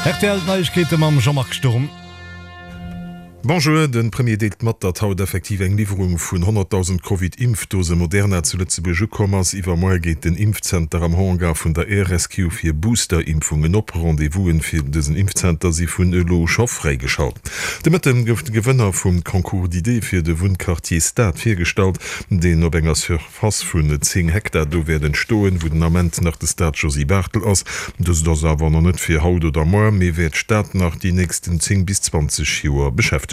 Rtl Neiegkeete mam Jean-Marc Sturm. Bonjour, de Premier deelt mat, datt haut effektiv eng Liwwerung vun 100.000 Covid-Impfdose Moderna zu Lëtzebuerg ukomm ass. Iwwermoar geet den Impfzenter am Hangar vun der Air Rescue fir Booster-Impfungen op. Rendez-vous'en fir dësen Impfzenter si vun elo scho fräigeschalt. De Mëtten gouf de Gewënner vum Concours d'idées fir de Wunnquartier Stad virgestallt, deen op enger Surface vun 10 Hektar do wäert entstoen, wou den Ament nach de Stade Josy Barthel ass. Dëst ass awer nach net fir haut oder moar, mee wäert d'Stad nach déi nächsten 10 bis 20 Joer beschäftegen.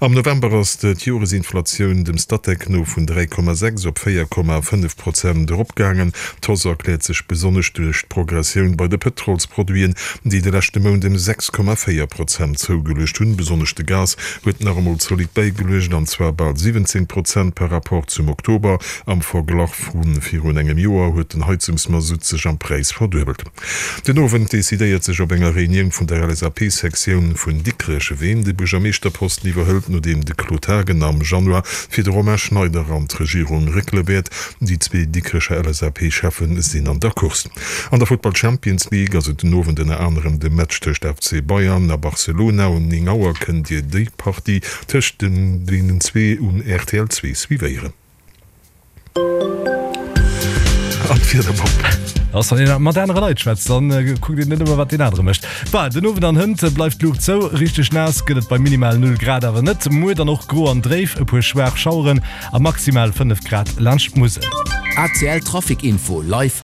Am November ass d'Joresinflatioun dem Statec no vun 3,6 op 4,5 Prozent eropgaangen. D'Hausse erkläert sech besonnesch duerch d'Progressioun bei de Pëtrolsproduiten, déi de leschte Mount ëm 6,4 Prozent zougeluecht hunn. Besonnesch de Gas huet nach emol zolidd bäigeluecht, an zwar bal 17 Prozent par Rapport zum Oktober. Am Verglach vu virun engem Joer huet den Heizungsmasutt sech am Präis verduebelt. Den Owend decidéiert sech op enger Reunioun vun der LSAP-Sektioun vun Dikrech, ween de Buergermeeschterposten iwwerhëlt, nodeem de Claude Haagen am Januar fir de Romain Schneider an d'Regierung réckele wäert. Déi zwee Dikrecher LSAP-Cheffe sinn an der Course. An der Futtball Champions League ass et den Owend ënner anerem de Match tëscht FC Bayern a Barcelona. Um 9 Auer kënnt Dir déi Partie tëscht deenen zwee um rtl 2 suivéieren. An d'Wiederbomm. Ass wann een mat anere Leit schwätzt, dann kuckt een net ëmmer wat deen anere mécht. Bah, den Owend an hënt bleift d'Luucht zou. Richteg naass gëtt et bei minimal 0 Grad awer net. Muer dann och gro an dréif, e puer schwaach Schaueren a maximal 5 Grad laanscht d'Musel. ACL Trafic Info live.